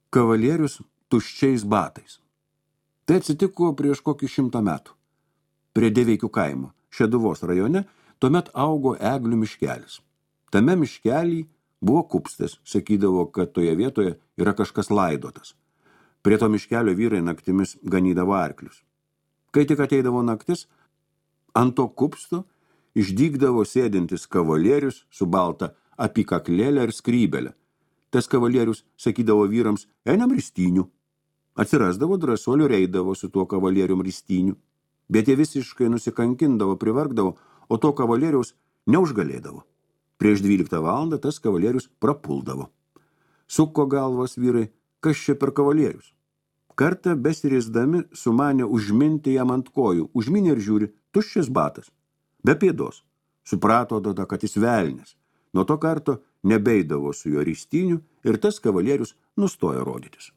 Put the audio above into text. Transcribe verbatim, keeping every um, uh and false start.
Kavalierius tuščiais batais. Tai atsitiko prieš kokį šimtą metų. Prie Deveikių kaimo, Šeduvos rajone, tuomet augo eglių miškelis. Tame miškelį buvo kupstas, sakydavo, kad toje vietoje yra kažkas laidotas. Prie to miškelio vyrai naktimis ganydavo arklius. Kai tik ateidavo naktis, ant to kupsto išdygdavo sėdintis kavalierius su balta apykaklėlė ir skrybelė. Tas kavalierius sakydavo vyrams, einam ristynių. Atsirasdavo drąsuolių ir eidavo su tuo kavalierium ristynių. Bet jie visiškai nusikankindavo, privargdavo, o to kavalieriaus neužgalėdavo. Prieš dvyliktą valandą tas kavalierius prapuldavo. Suko galvas vyrai, kas čia per kavalierius. Kartą besirisdami sumanė užminti jam ant kojų, užminė ir žiūri, tuščias batas, be pėdos. Suprato tada, kad jis velnias. Nuo to karto nebeidavo su jo ristynių ir tas kavalierius nustojo rodytis.